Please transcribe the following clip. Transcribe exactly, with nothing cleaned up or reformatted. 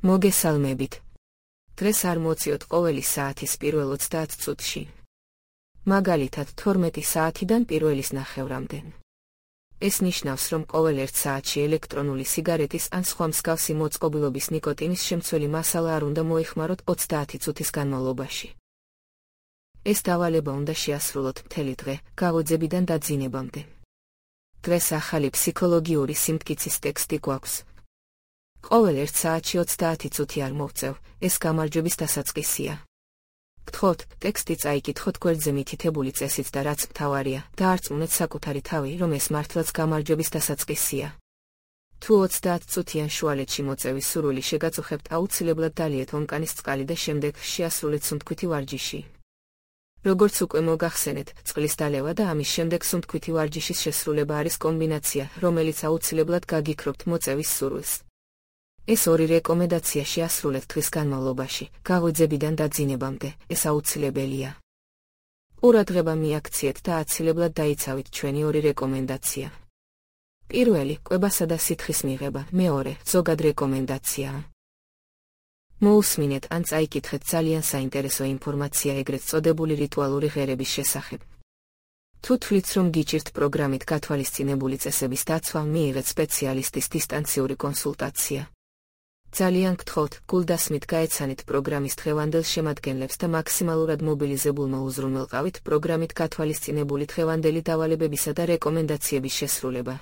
მოგესალმებით. დღეს არ მოვწიოთ ყოველი საათის პირველ ოცდაათ წუთში. მაგალითად თორმეტი საათიდან პირველის ნახევრამდე. ეს ნიშნავს, რომ ყოველ ერთ საათში ელექტრონული სიგარეტის ან სხვა მსგავსი მოწყობილობის ნიკოტინის შემცველი მასალა არ უნდა მოიხმაროთ ოცდაათი წუთის განმავლობაში. ეს დავალება უნდა შეასრულოთ მთელი დღე, გაღვიძებიდან დაძინებამდე. დღეს ახალი ფსიქოლოგიური სიმტკიცის ტექსტი გვაქვს. ყოველ ერთ საათში ოცდაათი წუთი არ მოვწევ, ეს გამარჯვების დასაწყისია. გთხოვთ, ტექსტი წაიკითხოთ გვერდზე მითითებული წესით და რაც მთავარია, დაარწმუნეთ საკუთარი თავი, რომ ეს მართლაც გამარჯვების დასაწყისია. თუ ოცდაათ წუთიან შუალედში მოწევის სურვილი შეგაწუხებთ, აუცილებლად დალიეთ ომკანის წყალი და შემდეგ შეასრულეთ სუნთქვითი ვარჯიში. როგორც უკვე მოგახსენეთ, წყლის დალევა და ამის შემდეგ სუნთქვითი ვარჯიშის შესრულება არის კომბინაცია, რომელიც აუცილებლად გაგიქრობთ მოწევის სურვილს. ეს ორი რეკომენდაცია შეასრულეთ დღის განმავლობაში, გაღვიძებიდან დაძინებამდე, ეს აუცილებელია. ყურადღება მიაქციეთ და აცილებლად დაიცავით ჩვენი ორი რეკომენდაცია. პირველი, კვებასა და სითხის მიღება, მეორე, ზოგად რეკომენდაცია. მოусმინეთ ან წაიკითხეთ ძალიან საინტერესო ინფორმაცია ეგრეთ წოდებული რიტუალური ღერების შესახებ. თუ თვლით, რომ გიჭირთ პროგრამით გათვალისწინებული წესების დაცვა, მიიღეთ სპეციალისტის დისტანციური კონსულტაცია. ძალიან გთხოვთ, გულდასმით გაეცანით პროგრამის დღევანდელ შემადგენლებს და მაქსიმალურად მობილიზებულმა უზრუნველყავით პროგრამით გათვალისწინებული დღევანდელი დავალებებისა და რეკომენდაციების შესრულება.